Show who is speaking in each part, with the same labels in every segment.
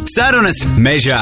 Speaker 1: Sarunas mežā.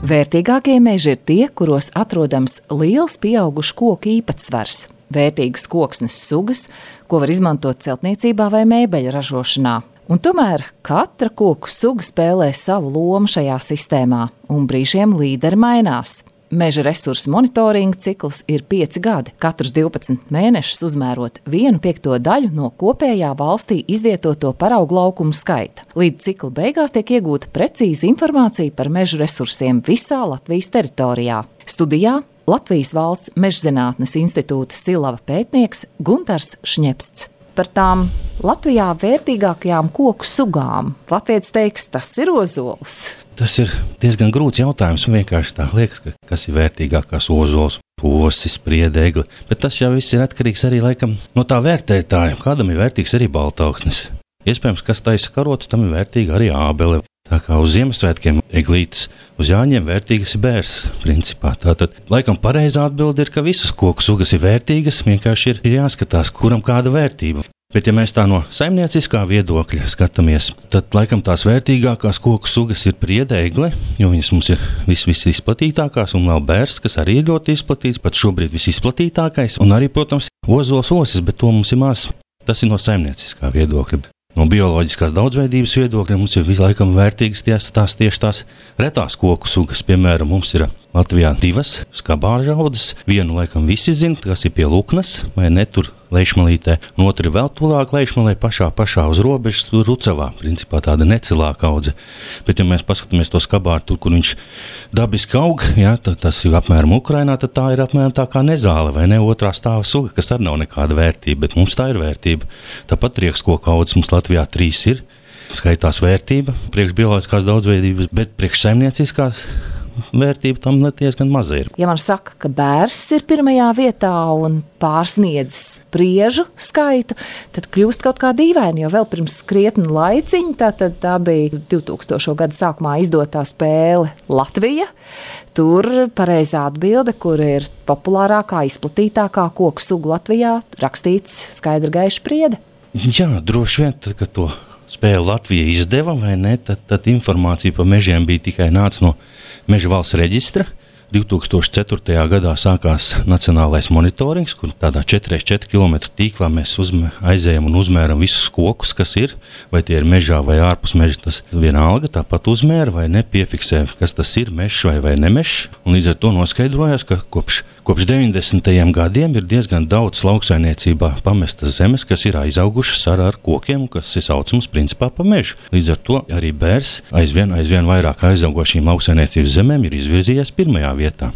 Speaker 2: Vērtīgākie meži ir tie, kuros atrodams liels pieaugušu koku īpatsvars, vērtīgas koksnes sugas, ko var izmantot celtniecībā vai mēbeļu ražošanā. Un tomēr katra koku suga spēlē savu lomu šajā sistēmā, un brīžiem līderi mainās. Meža resursu monitoringa cikls ir 5 gadi, katrus 12 mēnešus uzmērot 1/5 daļu no kopējā valstī izvietoto paraugu laukumu skaita. Līdz cikla beigās tiek iegūta precīza informācija par mežu resursiem visā Latvijas teritorijā. Studijā Latvijas Valsts Mežzinātnes institūta Silava pētnieks Guntars Šņepsts. Par tām Latvijā vērtīgākajām koku sugām. Latvijas teiks, tas ir ozols.
Speaker 3: Tas ir diezgan grūts jautājums, un vienkārši tā liekas, kas ir vērtīgākās ozols, posis, spriedegli, bet tas jau viss ir atkarīgs arī laikam no tā vērtētāja. Kādam ir vērtīgs arī baltauksnis. Iespējams, kas taisa karotes, tam ir vērtīga arī ābele. Tā kā uz Ziemassvētkiem eglītes, uz Jāņiem vērtīgas ir bērs, principā. Tātad, laikam pareizā atbilde ir, ka visas koku sugas ir vērtīgas, vienkārši ir jāskatās, kuram kāda vērtība. Bet, ja mēs tā no saimnieciskā viedokļa skatāmies, tad laikam tās vērtīgākās koku sugas ir priedēgle, jo viņas mums ir visizplatītākās, un vēl bērs, kas arī ir ļoti izplatīts, pat šobrīd visizplatītākais, un arī, protams, ozols osis, bet to mums ir maz. Tas ir no saimnieciskā viedokļa. No bioloģiskās daudzveidības viedokļa mums ir visu laikam vērtīgas tieši tās retās koku sugas. Piemēram, mums ir Latvijā 2 skabāžu audzes. Vienu laikam visi zina, kas ir pie Luknas, vai ne tur Leišmalītē, un otru ir vēl tuvāk Leišmalē, pašā uz robežas, Rucavā, principā tāda necilāka audze. Bet, ja mēs paskatāmies to skabāru tur, kur viņš dabiski aug, ja, tas ir apmēram Ukrainā, tad tā ir apmēram tā kā nezāle, vai ne, otrā stāva suga, kas arī nav nekāda vērtība, bet mums tā ir vērtība. Tāpat riekskoku audzes mums Latvijā 3 ir, skaitās vērtība, priekš bioloģiskās daudzveidības, bet priekš saimnieciskās vērtība tam diezgan maza ir.
Speaker 2: Ja man saka, ka bērs ir pirmajā vietā un pārsniedz spriežu skaitu, tad kļūst kaut kā dīvaini, jo vēl pirms krietni laiciņa, tā bija 2000. Gada sākumā izdotā spēle Latvija. Tur pareizā atbilde, kur ir populārākā, izplatītākā koku suga Latvijā, rakstīts skaidri gaiši priede.
Speaker 3: Jā, droši vien, tad, kad to spēli Latvija izdeva, vai ne, tad informācija par mežiem bija tikai nāca no Meža valsts reģistra. 2004. gadā sākās nacionālais monitorings, kur tādā 4x4 km tīklā mēs aizējam un uzmēram visus kokus, kas ir, vai tie ir mežā vai ārpus meža. Tas vienalga tāpat uzmēra vai nepiefiksē, kas tas ir, mežs vai nemešs. Un līdz ar to noskaidrojās, ka kopš 90. gadiem ir diezgan daudz lauksainiecībā pamestas zemes, kas ir aizaugušas ar kokiem, kas ir saucams principā pa mežu. Līdz ar to arī bērs aizvien vairāk aizaugošīm lauksainiecības zemēm ir izvirzījies pirmajā vietā.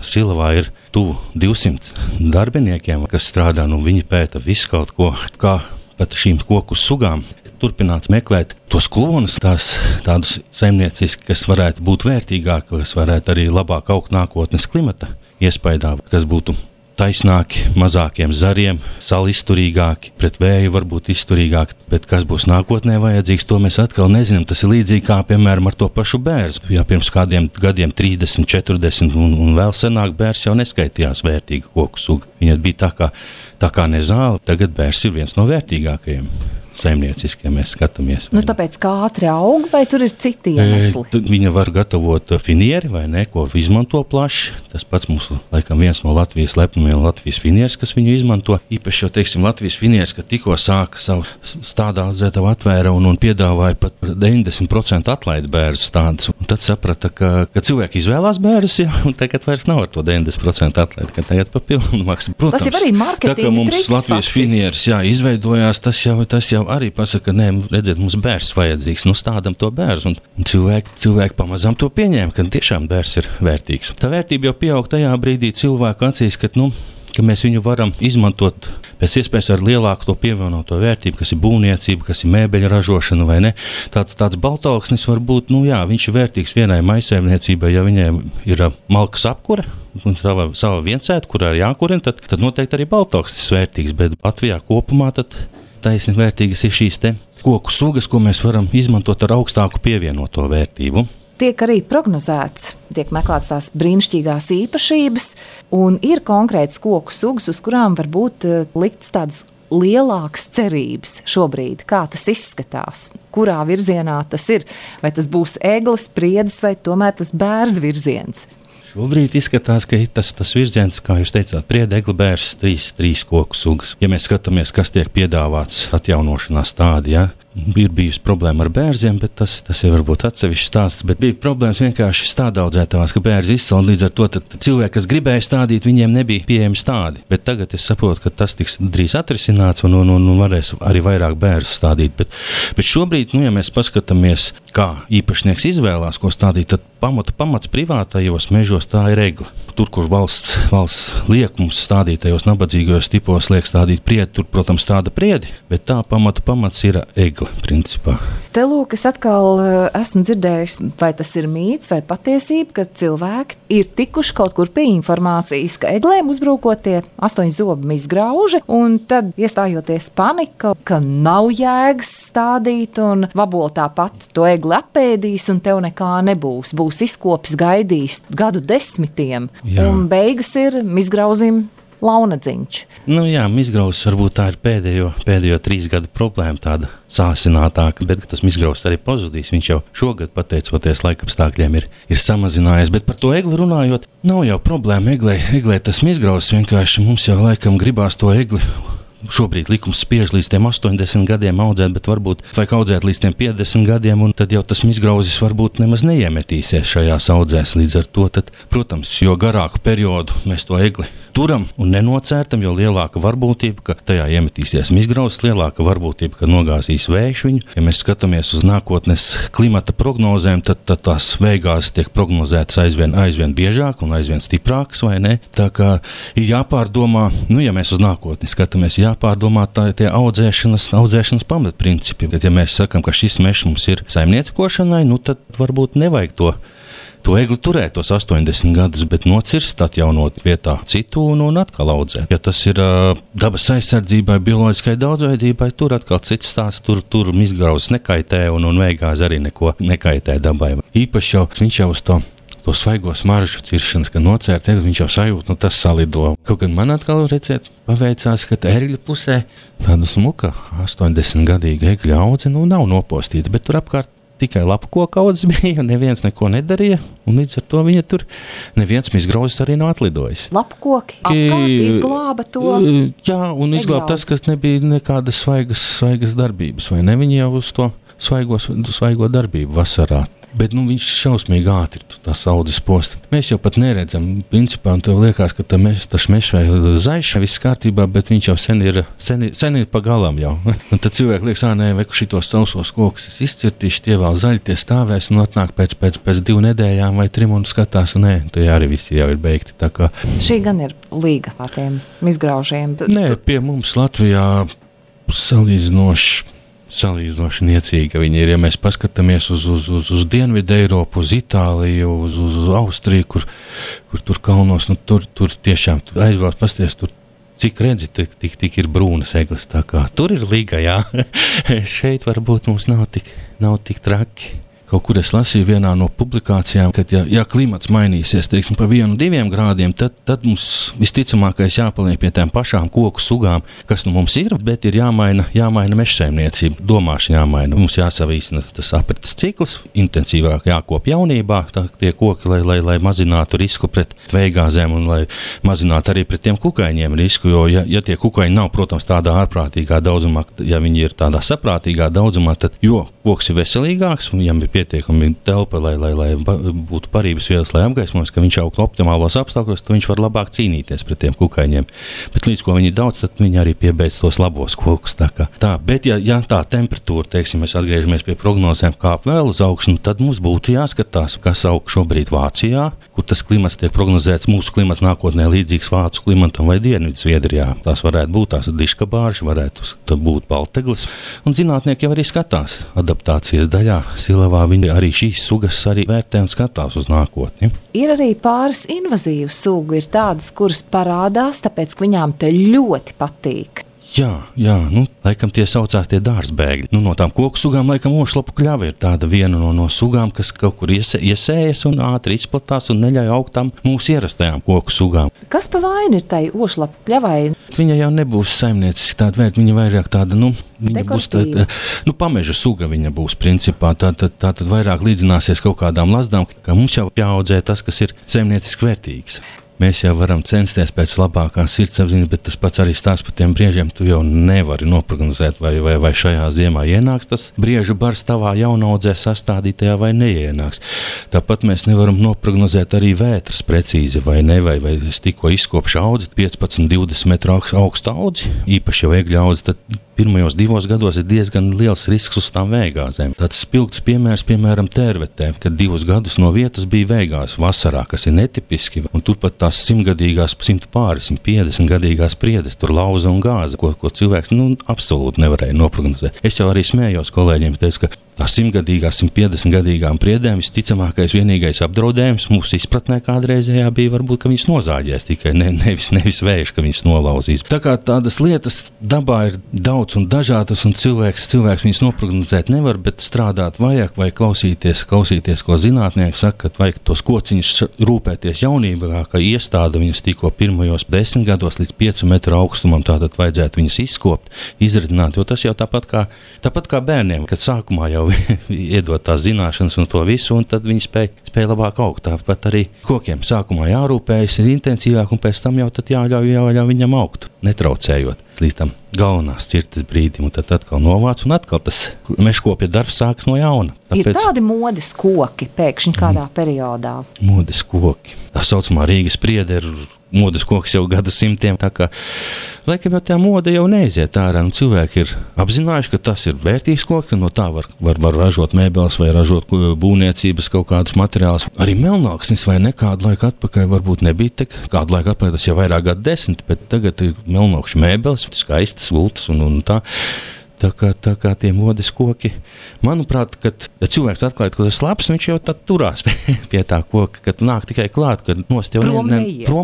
Speaker 3: Silavā ir tuvu 200 darbiniekiem, kas strādā, viņi pēta visu kaut ko, kā pat šīm koku sugām turpināt meklēt tos klonus, tādus saimnieciski, kas varētu būt vērtīgāki, kas varētu arī labāk augt nākotnes klimata iespaidā, kas būtu taisnāki, mazākiem zariem, salizturīgāki, pret vēju varbūt izturīgāki, bet kas būs nākotnē vajadzīgs, to mēs atkal nezinām. Tas ir līdzīgi kā, piemēram, ar to pašu bērzu. Ja pirms kādiem gadiem 30, 40 un vēl senāk bērs jau neskaitījās vērtīga koku suga. Viņa bija tā kā nezāle, tagad bērs ir viens no vērtīgākajiem. Saimnieciski, ja mēs skatāmies.
Speaker 2: Tāpēc kā ātri aug, vai tur ir citi iemesli?
Speaker 3: Viņa var gatavot finieri, vai ne, ko izmanto plaši. Tas pats mums, laikam, viens no Latvijas lepnumiem, Latvijas finieris, kas viņu izmanto. Īpaši jau, teiksim, Latvijas finieris, ka tikko sāka savu stādā audzētavu atvēra un piedāvāja pat 90% atlaidi bērzu stādus. Un tad saprata, ka cilvēki izvēlās bērzus, ja, un tagad vairs nav ar to 90% atlaidi, ka tagad pa pilnu maksu. Protams,
Speaker 2: tas ir arī marketinga
Speaker 3: triks, mums Latvijas finieris, izveidojās, tas jau arī pasaka, nē, redziet, mums bērs vajadzīgs, stādam to bērzu, un cilvēki pamazām to pieņēma, ka tiešām bērs ir vērtīgs. Tā vērtība jau pieaug tajā brīdī cilvēku acīs, ka mēs viņu varam izmantot pēc iespējas ar lielāku to pievienoto vērtību, kas ir būvniecība, kas ir mēbeļa ražošana, vai ne. Tāds baltauksnis var būt, viņš ir vērtīgs vienai maisaimniecībai, ja viņai ir malkas apkure, un sava viensēta, kurā ir jākurina, tad noteikti arī baltauksnis vērtīgs, bet Latvijā kopumā tad taisni vērtīgas ir šīs te koku sugas, ko mēs varam izmantot ar augstāku pievienoto vērtību.
Speaker 2: Tiek arī prognozēts, tiek meklēts tās brīnišķīgās īpašības, un ir konkrētas koku sugas, uz kurām var būt liktas tādas lielākas cerības šobrīd? Kā tas izskatās? Kurā virzienā tas ir? Vai tas būs eglis, priedis vai tomēr tas bērs virziens?
Speaker 3: Šobrīd izskatās, ka tas virziens, kā jūs teicāt, priede, egli, bērs, trīs koku sugas. Ja mēs skatāmies, kas tiek piedāvāts atjaunošanā stādijā, ir bijusi problēma ar bērziem, bet tas ir varbūt atsevišķs stāsts. Bet bija problēmas vienkārši stādaudzētavās, ka bērzi izcēla, līdz ar to cilvēki, kas gribēja stādīt, viņiem nebija pieejami stādi. Bet tagad es saprotu, ka tas tiks drīz atrisināts un varēs arī vairāk bērzu stādīt. Bet šobrīd, ja mēs paskatāmies, kā īpašnieks izvēlās, ko stādīt, tad pamats privātajos mežos tā ir egla. Tur, kur valsts liek mums stādīt tajos nabadzīgajos tipos, liek stādīt priedi, tur, protams, tāda priedi, bet tā pamats ir egla, principā.
Speaker 2: Te lūk, es atkal esmu dzirdējis, vai tas ir mīts vai patiesība, ka cilvēki ir tikuši kaut kur pie informācijas, ka eglēm uzbrukotie 8 zobi izgrauži, un tad iestājoties panika, ka nav jēgas stādīt, un vabola tāpat to egli apēdīs, un tev nekā nebūs. Būs izkopis, gaidīs gadu desmitiem, jā. Un beigas ir izgrauzim launadziņš.
Speaker 3: Izgrauzis varbūt tā ir pēdējo 3 gadu problēma, tāda sāsinātāka, bet tas izgrauzis arī pazudīs. Viņš jau šogad, pateicoties laikapstākļiem, ir samazinājies, bet par to egli runājot, nav jau problēma eglē tas izgrauzis, vienkārši mums jau laikam gribās to egli. Šobrīd likums spiež līdz tiem 80 gadiem audzēt, bet varbūt vajag audzēt līdz tiem 50 gadiem, un tad jau tas izgrauzis varbūt nemaz neiemetīsies šajās audzēs. Līdz ar to, tad, protams, jo garāku periodu mēs to egli turam un nenocērtam, jo lielāka varbūtība, ka tajā iemetīsies izgrauzis, lielāka varbūtība, ka nogāzīs vējš viņu. Ja mēs skatāmies uz nākotnes klimata prognozēm, tad tās vējgāzes tiek prognozētas aizvien biežāk un aizvien stiprākas, vai ne? Tā kā ir jāpārdomā, ja mēs uz nākotni skatāmies, jāpārdomā tie audzēšanas pamatprincipi. Bet, ja mēs sakam, ka šis mežs mums ir saimniekošanai, tad varbūt nevajag to egli turēt tos 80 gadus, bet nocirst, atjaunot vietā citu un atkal audzēt. Ja tas ir dabas aizsardzībai, bioloģiskai daudzveidībai, tur atkal cits stāsts, tur izgrauzis nekaitē un vējgāze arī neko nekaitē dabai. Īpaši jau viņš jau uz to svaigo smaržu ciršanas, kad nocērt egli, viņš jau sajūt, tas salido. Kaut gan man atkal redzēt, paveicās, ka ērgļu pusē tāda smuka 80-gadīga egļa audze, nav nopostīta, bet tur apkārt tikai lapu koka audzes bija, un neviens neko nedarīja, un līdz ar to viņa tur neviens izgrauzis arī nav atlidojis.
Speaker 2: Lapu koki apkārt izglāba to?
Speaker 3: Jā, un izglāba tas, kas nebija nekādas svaigas darbības, vai ne? Viņi jau uz to svaigo darbību vasarā. Bet viņš šausmīgi ātri tās audzes posta. Mēs jau pat neredzam, principā, un tev liekas, ka tas mežs vai zaļš, viss kārtībā, bet viņš jau sen ir pa galam jau. Un tad cilvēki liekas, vai šitos sausos kokus izcirtīšu, tie vēl zaļi, tie stāvēs, un atnāk pēc 2 nedēļām vai 3 un skatās, tie arī visi jau ir beigti. Tā kā
Speaker 2: šī gan ir līga ar tiem izgraužiem.
Speaker 3: Pie mums Latvijā salīdzinoši niecīga viņi ir. Ja mēs paskatāmies uz Dienvidu Eiropu, uz Itāliju, uz Austriju, kur tur kalnos, tur tiešām aizbrauc pasties, tur cik redzi, tik ir brūnas egles. Tā kā tur ir līga, jā. Šeit varbūt mums nav tik traki. Kaut kur es lasīju vienā no publikācijām, ka ja klimats mainīsies, teiksim, pa 1-2 grādiem, tad mums visticamākais jāpaliek pie tām pašām koku sugām, kas mums ir, bet ir jāmaina mežsaimniecība, domāšana jāmaina. Mums jāsavīsina tas aprites cikls, intensīvāk jākop jaunībā, tie koki, lai mazinātu risku pret vējgāzēm un lai mazinātu arī pret tiem kukaiņiem risku, jo ja tie kukaiņi nav, protams, tādā ārprātīgā daudzumā, ja viņi ir tādā saprātīgā daudzumā, tad jo koks ir veselīgāks, viņam ir pietiekami telpa, lai būtu parības vielas, lai apgaismos, ka viņš aug optimālos apstākļos, tad viņš var labāk cīnīties pret tiem kukaiņiem. Bet līdz ko viņi daudz, tad viņi arī piebeidz tos labos kokus. Bet ja tā temperatūra, teiksim, mēs atgriežamies pie prognozēm, kāp vēl uz augšu, tad mums būtu jāskatās, kas aug šobrīd Vācijā, kur tas klimats tiek prognozēts, mūsu klimats nākotnē līdzīgs Vācu klimatam vai Dienvidu Zviedrijā. Tās varētu būt tās diškabāržas, varētu būt balteglis. Un zinātnieki jau arī skatās adaptācijas daļā, Silavā. Viņi arī šīs sugas arī vērtē un skatās uz nākotni.
Speaker 2: Ir arī pāris invazīvu sugu, ir tādas, kuras parādās, tāpēc, ka viņām te ļoti patīk.
Speaker 3: Jā, laikam tie saucās tie dārzbēgļi. No tām koku sugām, laikam, ošlapu kļava ir tāda viena no sugām, kas kaut kur iesējas un ātri izplatās un neļauj augt tam mūsu ierastajām koku sugām.
Speaker 2: Kas pa vainu ir tai ošlapu kļavai?
Speaker 3: Viņa jau nebūs saimnieciski tāda vērta, viņa vairāk tāda, viņa būs tāda, pameža suga viņa būs principā. Tātad vairāk līdzināsies kaut kādām lazdām, ka mums jau jāaudzē tas, kas ir saimnieciski vērtīgs. Mēs jau varam censties pēc labākās sirdsapziņas, bet tas pats arī stāsts par tiem briežiem. Tu jau nevari noprognozēt, vai šajā ziemā ienāks tas briežu bars tavā jaunaudzē sastādītajā vai neienāks. Tāpat mēs nevaram noprognozēt arī vētras precīzi, vai ne, vai es tikko izkopšu audzi, 15-20 metru augstu audzi, īpaši jau egļa audzi, tad pirmajos 2 gados ir diezgan liels risks uz tām vējgāzēm. Tāds spilgts piemērs, piemēram, Tērvetē, kad 2 gadus no vietas bija vējgāzes vasarā, kas ir netipiski, un turpat tās 100-gadīgās, 150 gadīgās priedes, tur lauza un gāza, ko cilvēks absolūti nevarēja noprognozēt. Es jau arī smējos kolēģiem, teicu, ka tās 100-gadīgās, 150-gadīgām priedēm visticamākais vienīgais apdraudējums mūsu izpratnē kādreizējā bija varbūt, ka viņas nozāģēs tikai, nevis vējš, ka viņas nolauzīs. Tā kā tādas lietas dabā ir daudz un dažādas, un cilvēks viņas noprognozēt nevar, bet strādāt vajag vai klausīties, ko zinātnieki saka, ka vajag tos kociņus rūpēties jaunībā, ka iestāda viņus tikko pirmajos 10 gados līdz 5 metru augstumam, tātad vajadzētu viņus izkopt, izradināt, jo tas jau tāpat kā bērniem, kad sākumā jau iedot tās zināšanas un to visu, un tad viņi spēj labāk augt. Tāpat arī kokiem sākumā jārūpējas, ir intensīvāk, un pēc tam jau tad jāļauj viņam augt, netraucējot līdz tam galvenās cirtas brīdim, un tad atkal novāc, un atkal tas mežkopja darbs sāks no jauna.
Speaker 2: Ir tādi modes koki pēkšņi kādā periodā?
Speaker 3: Modes koki. Tā saucamā Rīgas priede ir modes koks jau gadsimtiem, tā kā laikam jau tā mode jau neiziet ārā, un cilvēki ir apzinājuši, ka tas ir vērtīgs koks, ka no tā var ražot mēbeles vai ražot būvniecības kaut kādus materiālus. Arī melnāksnis vai nekādu laiku atpakaļ varbūt nebija kādu laiku atpakaļ, tas jau vairāk gadu 10, bet tagad ir melnākšu mēbeles, skaistas gultas un tā. Tā kā tie modes koki, manuprāt, kad cilvēks atklāja, ka tas labs, viņš jau tad turās pie tā koka, kad nāk tikai klāt, kad nost jau prom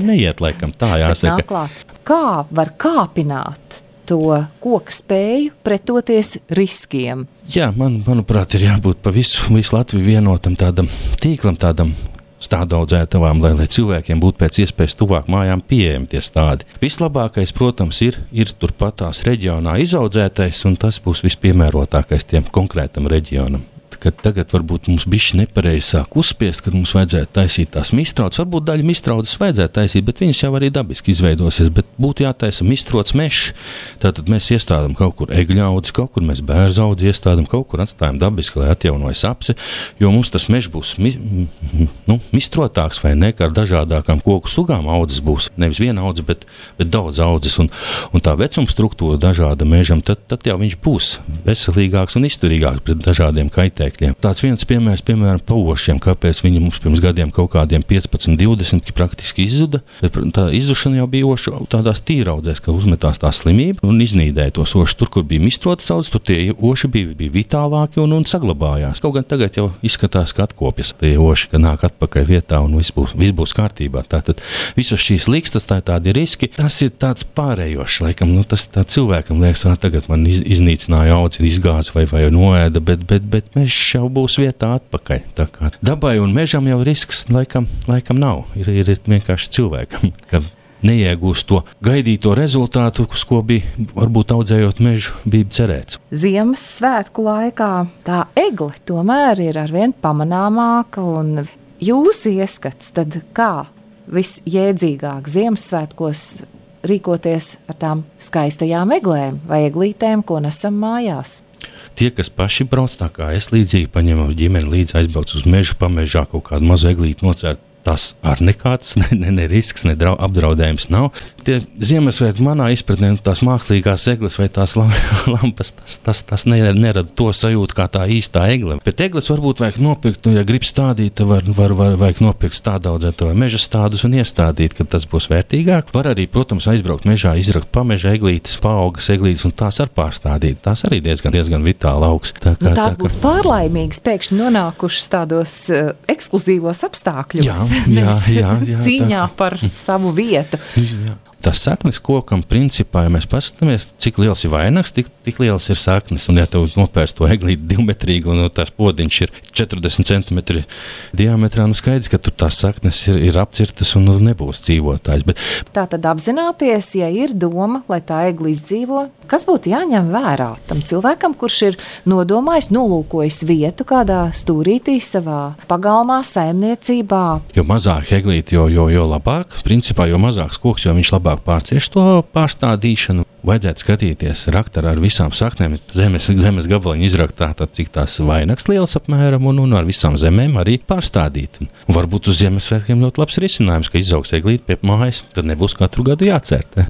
Speaker 3: neiet, laikam, tā jāsaka.
Speaker 2: Kā var kāpināt to koka spēju pretoties riskiem?
Speaker 3: Jā, manuprāt, ir jābūt pa visu Latviju vienotam tādam tīklam, tādam stādaudzētavām, lai cilvēkiem būtu pēc iespējas tuvāk mājām pieejami tie stādi. Vislabākais, protams, ir turpat tās reģionā izaudzētais, un tas būs vispiemērotākais tiem konkrētam reģionam. Kad tagad varbūt mums bišķi nepareizi sāk uzspiest, kad mums vajadzētu taisīt tās mistraudas. Varbūt daļa mistraudas vajadzētu taisīt, bet viņas jau arī dabiski izveidosies, bet būtu jātaisa mistrots mežs. Tātad mēs iestādām kaut kur egļaudzi, kaut kur mēs bērzaudzi iestādām, kaut kur atstājam dabiski, lai atjaunojas apse, jo mums tas mežs būs mistrotāks vai ne, kā ar dažādākām koku sugām audzes būs. Nevis viena audze, bet daudz audzes, un tā vecuma struktūra dažāda mežam, tad jau viņš būs veselīgāks un izturīgāks pret dažādiem kaitēkļiem. Tāds viens piemērs, piemēram, pa ošiem, kāpēc viņi mums pirms gadiem kaut kādiem 15-20 praktiski izzuda, bet tā izzušana jau bija ošu tādās tīraudzēs, ka uzmetās tā slimība un iznīdēja tos ošus. Tur, kur bija mistrotas audzes, tur tie oši bija vitālāki un saglabājās. Kaut gan tagad jau izskatās, ka atkopjas tie oši, ka nāk atpakaļ vietā un viss būs kārtībā. Tātad visas šīs likstas, tādi riski, tas ir tāds pārējošs, laikam, tas tā cilvēkam liekas, tagad man iznīcināja audzi, izgāza vai noēda, bet mežs jau būs vietā atpakaļ. Tā kā dabai un mežam jau risks laikam nav. Ir vienkārši cilvēkam, ka neiegūst to gaidīto rezultātu, uz ko bija, varbūt audzējot mežu, bija cerēts.
Speaker 2: Ziemassvētku laikā tā egle tomēr ir arvien pamanāmāka, un jūsu ieskats, tad kā visjēdzīgāk Ziemassvētkos rīkoties ar tām skaistajām eglēm vai eglītēm, ko nesam mājās?
Speaker 3: Tie, kas paši brauc, tā kā es līdzīgi paņemu ģimeni līdzi, aizbrauc uz mežu, pamežā kaut kādu mazu eglīti nocērt, tas ar nekāds ne risks, ne apdraudējums nav. Tie Ziemassvētki manā izpratnē, tās mākslīgās egles vai tās lampas, tas nerada to sajūtu kā tā īstā egle. Bet egles varbūt vajag nopirkt, ja grib stādīt, vajag nopirkt stādaudzēt vai meža stādus un iestādīt, kad tas būs vērtīgāk. Var arī, protams, aizbraukt mežā, izrakt pameža eglītes, paaugas eglītes un tās ar pārstādīt. Tās arī diezgan vitāli augs.
Speaker 2: Tās būs pārlaimīgas pēkšņi nonākušas tādos ekskluzīvos apstākļos.
Speaker 3: Jā,
Speaker 2: cīņā par savu vietu.
Speaker 3: Jā. Tas saknes kokam, principā, ja mēs paskatāmies, cik liels ir vainags, tik liels ir saknes. Un ja tev nopērst to eglīti 2-metrīgu un tās podiņš ir 40 centimetri diametrā, skaidrs, ka tur tās saknes ir apcirtas un nebūs dzīvotājs.
Speaker 2: Tā tad apzināties, ja ir doma, lai tā egli izdzīvo, kas būtu jāņem vērā tam cilvēkam, kurš ir nodomājis, nolūkojis vietu kādā stūrītī savā pagalmā, saimniecībā.
Speaker 3: Jo mazāk eglīti, jo labāk. Principā, jo mazāks koks, jo viņš labāk pārcieš to pārstādīšanu. Vajadzētu skatīties raktarā ar visām saknēm, zemes gabaliņu izrakt tātad, cik tās vainags liels apmēram un ar visām zemēm arī pārstādīt. Un varbūt uz Ziemassvētkiem ļoti labs risinājums, ka izaugs eglīti pie mājas, tad nebūs katru gadu jācert.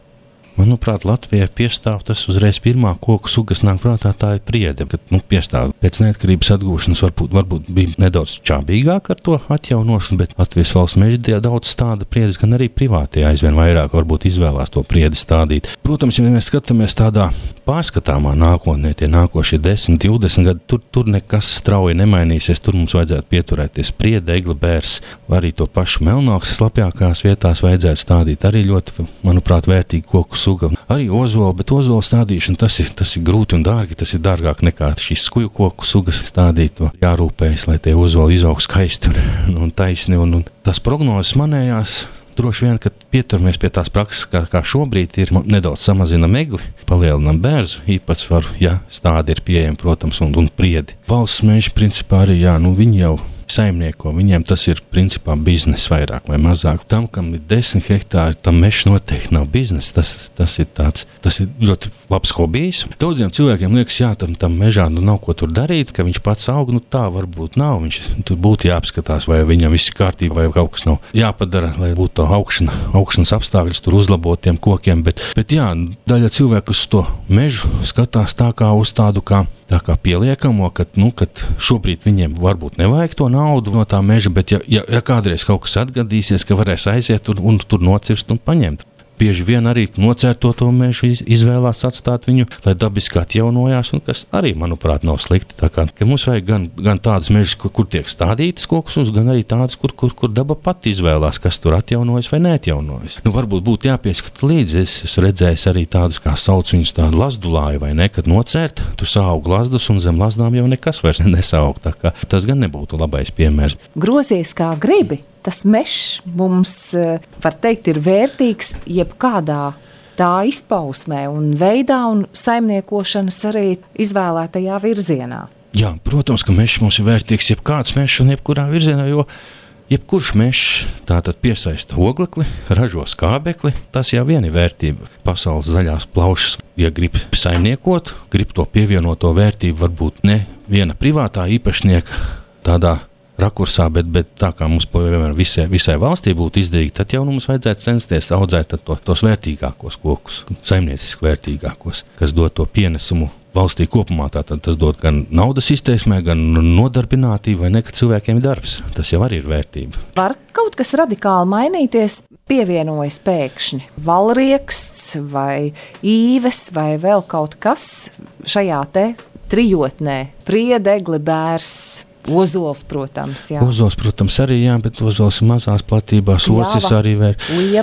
Speaker 3: Manuprāt, Latvijai piestāv tas uzreiz pirmā koku suga, kas nāk prātā, tā ir priede. Kad piestāv pēc neatkarības atgūšanas, varbūt bija nedaudz čābīgāk ar to atjaunošanu, bet Latvijas valsts meža daudz stāda priedes, gan arī privātie aizvien vairāk varbūt izvēlās to priedi stādīt. Protams, ja mēs skatāmies tādā pārskatāmā nākotnē, tie nākošie 10, 20 gadi, tur nekas strauji nemainīsies, tur mums vajadzētu pieturēties priede, egli, bērs, arī to pašu melnākas slapjākās vietās vajadzētu stādīt arī ļoti, manuprāt, vērtīgi koku suga. Arī ozola, bet ozola stādīšana, tas ir grūti un dārgi, tas ir dārgāk nekā šīs skuju koku sugas stādīt. Jārūpējas, lai tie ozoli izaug skaisti un taisni, un tas prognozes manējās. Droši vien, kad pieturamies pie tās prakses, kā šobrīd ir, nedaudz samazinam egli, palielinam bērzu īpatsvaru, ja stádi ir pieejami, protams, un priedi. Valsts meži principā arī, viņi jau saimnieko, viņiem tas ir principā biznes vairāk vai mazāk. Tam, kam ir 10 hektāri, tam mežs noteikti nav biznes, tas ir ļoti labs hobijs. Daudziem cilvēkiem liekas, tam mežā nav ko tur darīt, ka viņš pats aug, tā varbūt nav. Viņš tur būtu jāapskatās, vai viņam viss ir kārtībā, vai kaut kas nav jāpadara, lai būtu augšanas apstākļus tur uzlabot tiem kokiem, bet daļa cilvēku uz to mežu skatās tā kā uz tādu tā kā pieliekamo, kad šobrīd viņiem varbūt nevajag to naudu no tā meža, bet ja kādreiz kaut kas atgadīsies, ka varēs aiziet un tur nocirst un paņemt. Bieži vien arī nocērto to mežu izvēlās atstāt viņu, lai dabiski atjaunojās, un kas arī, manuprāt, nav slikti. Tā kā mums vajag gan tādas mežas, kur tiek stādītas kokus, gan arī tādas, kur daba pati izvēlās, kas tur atjaunojas vai neatjaunojas. Varbūt būtu jāpieskata līdzi. Es redzēju arī tādus, kā sauc viņus tādu lazdulāju, vai ne, kad nocērt, tur saug lazdus, un zem lazdām jau nekas vairs nesaug. Tā kā tas gan nebūtu labais piemērs.
Speaker 2: Grozies kā gribi. Tas mežs mums, var teikt, ir vērtīgs jebkādā tā izpausmē un veidā un saimniekošanas arī izvēlētajā virzienā.
Speaker 3: Jā, protams, ka mežs mums ir vērtīgs jebkāds mežs un jebkurā virzienā, jo jebkurš mežs tātad piesaista oglekli, ražo skābekli, tas jau vien ir vērtība. Pasaules zaļās plaušas, ja grib saimniekot, grib to pievienoto vērtību, varbūt ne viena privātā īpašnieka tādā rakursā, bet tā kā mums visai valstī būtu izdevīgi, tad jau mums vajadzētu censties audzēt tos vērtīgākos kokus, saimnieciski vērtīgākos, kas dod to pienesumu valstī kopumā. Tātad tas dod gan naudas izteiksmē, gan nodarbinātību, vai ne, ka cilvēkiem ir darbs. Tas jau arī ir vērtība.
Speaker 2: Var kaut kas radikāli mainīties, pievienojas pēkšņi valrieksts vai īves vai vēl kaut kas šajā te trijotnē, priede, egli, bērs, ozols, protams, jā.
Speaker 3: Ozols, protams, arī, bet ozols ir mazās platībās, ocis arī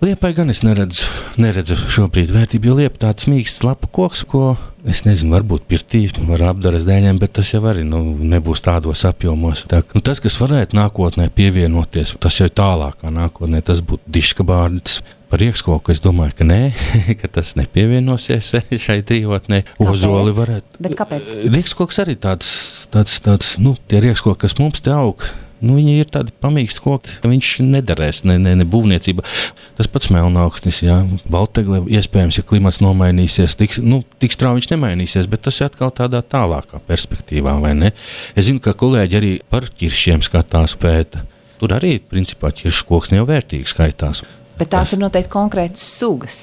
Speaker 3: Liepai gan es neredzu šobrīd vērtību, jo liepa tāds mīksts lapu koks, ko, es nezinu, varbūt pirtī var apdaras dēļiem, bet tas jau arī nebūs tādos apjomos. Tas, kas varētu nākotnē pievienoties, tas jau tālākā nākotnē, tas būtu diškabārds. Par riekskoku es domāju, ka nē, ka tas nepievienosies šai trijotnē. Ozoli varētu.
Speaker 2: Bet kāpēc?
Speaker 3: Riekskoks arī tāds, tie riekskoki, kas mums te aug, viņi ir tādi pamīksti koki, ka viņš nedarēs, ne būvniecība. Tas pats melnauksnis, baltegle, iespējams, ja klimats nomainīsies, tik strauji viņš nemainīsies, bet tas ir atkal tādā tālākā perspektīvā, vai ne? Es zinu, ka kolēģi arī par ķiršiem skatās pēta. Tur arī, principā, ķiršu koks jau vērtīgi skaitās.
Speaker 2: Bet tās ir noteikti konkrētas sugas.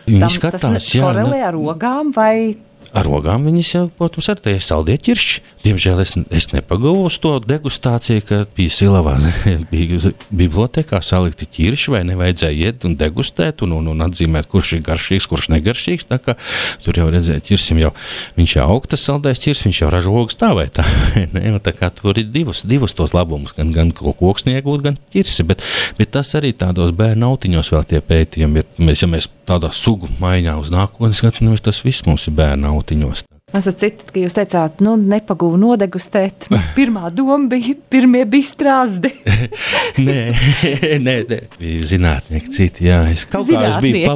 Speaker 3: Viņi skatās,
Speaker 2: tas korelē ar ogām vai
Speaker 3: Ar rogām viņas jau, protams, ar tie saldie ķiršķi. Diemžēl es nepagavu uz to degustāciju, ka bija Silavā, bija bibliotekā salikti ķirši, vai nevajadzēja iet un degustēt un atzīmēt, kurš ir garšīgs, kurš negaršīgs. Tā kā tur jau redzēja ķirsim jau, viņš jau augtas saldais ķirs, viņš jau ražo ogas tā vai tā. Ne? Tā kā tur ir divus tos labumus, gan koksni iegūt, gan ķirsi, bet tas arī tādos bērnu autiņos vēl tie pētījumi ir. Ja mēs tādā sugu maiņā uz nākotni skatāmies, tas viss mums ir bērnu autiņos.
Speaker 2: Es citu, ka jūs teicāt, nepagūvu nodegustēt. Pirmā doma bija, pirmie bija strāzdi.
Speaker 3: Nē, bija zinātnieki citi, jā. Es kaut kā biju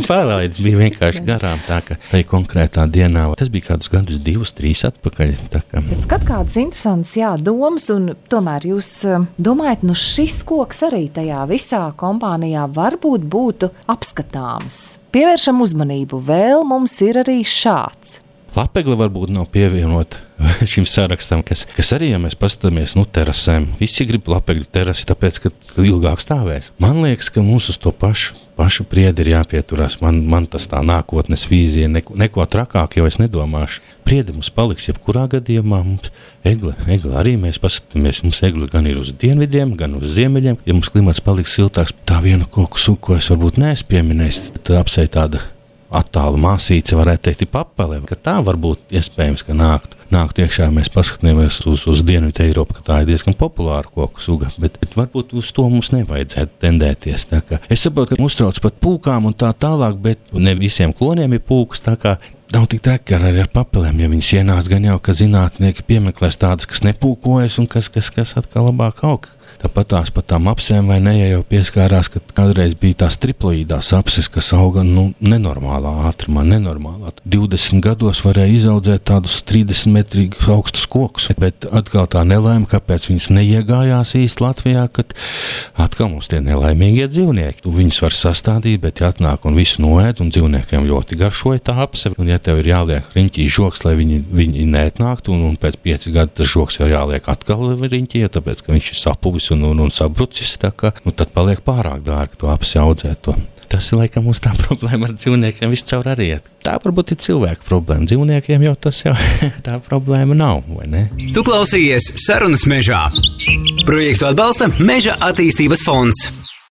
Speaker 3: palaidis bija vienkārši garām, tā ka tai konkrētā dienā. Tas bija kādus gadus 2-3 atpakaļ.
Speaker 2: Bet skat kādas interesantas, domas, un tomēr jūs domājat, šis koks arī tajā visā kompānijā varbūt būtu apskatāms. Pievēršam uzmanību, vēl mums ir arī šāds.
Speaker 3: Lapegla varbūt nav pievienot šim sarakstam, kas arī, ja mēs paskatāmies, terasēm, visi grib lapegļu terasi, tāpēc, ka ilgāk stāvēs. Man liekas, ka mums uz to pašu priedi ir jāpieturās. Man tas tā nākotnes vīzija, neko trakāk jau es nedomāšu. Priedi mums paliks, jebkurā gadījumā mums egle arī mēs paskatāmies, mums egle gan ir uz dienvidiem, gan uz ziemeļiem. Ja mums klimats paliks siltāks, tā viena koku suku, ko es varbūt neesmu pieminējis, tad apsei tāda attālu māsīca, varētu teikt, ir papele, ka tā varbūt iespējams, ka nāktu iekšā, mēs paskatāmies uz Dienvidu Eiropu, ka tā ir diezgan populāra koku suga, bet varbūt uz to mums nevajadzētu tendēties. Tā kā es saprotu, ka uztrauc pat pūkām un tā tālāk, bet ne visiem kloniem ir pūkas, tā kā nav tik traki arī ar papelēm, ja viņas ienāc gan jau, ka zinātnieki piemeklēs tādas, kas nepūkojas un kas atkal labāk aug. Tāpat tās pat tām apsēm vai ne, ja jau pieskārās, ka kādreiz bija tās triploīdās apses, kas auga nenormālā ātrumā, nenormālā. 20 gados varēja izaudzēt tādus 30 metrīgus augstus kokus, bet atkal tā nelaime, kāpēc viņas neiegājās īsti Latvijā, kad atkal mums tie nelaimīgie dzīvnieki. Tu viņus var sastādīt, bet ja atnāk un visu noēd, un dzīvniekiem ļoti garšoja tā apse, un ja tev ir jāliek riņķī žoks, lai viņi neatnāktu, un pēc 5 gadu tas žoks ir jāliek atkal riņķī, tāpēc, ka viņš ir sapuvis un sabrucis, tā kā, tad paliek pārāk dārgi to apsi audzēt to. Tas ir laikam mums tā problēma ar dzīvniekiem viscaur arī iet. Tā varbūt ir cilvēku problēma. Dzīvniekiem jau tas jau tā problēma nav, vai ne?
Speaker 1: Tu klausījies Sarunas mežā. Projektu atbalsta Meža attīstības fonds.